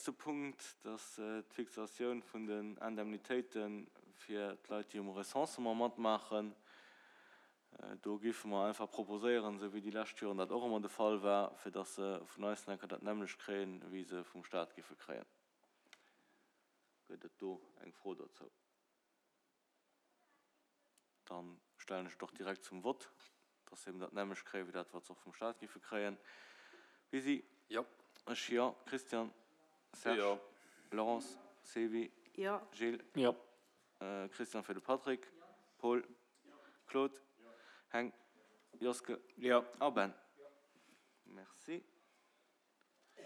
Nächste Punkt, dat ass d'Fixatioun vun den Indemnitéite fir d'Leit, déi um Recensement matmaachen. Do géife mer einfach proposéieren, esou wéi déi lescht Joren dat och ëmmer de Fall war, fir dass se vun eis enker dat nämmlecht kréien, wéi se vum Stat géife kréien. Gëtt et do eng Fro dozou? Dann stellen ech et och direkt zum Vott, dass se eben dat nämmlecht kréien, wéi dat, wat se och vum Stat géife kréien. Lisi? Jo. Ech, jo. Christian? Serge? Jo. Laurence? Sylvie? Jo. Gilles? Jo. Christian fir de Patrick? Paul? Claude? Heng? Joske? Jo. A Ben? Merci.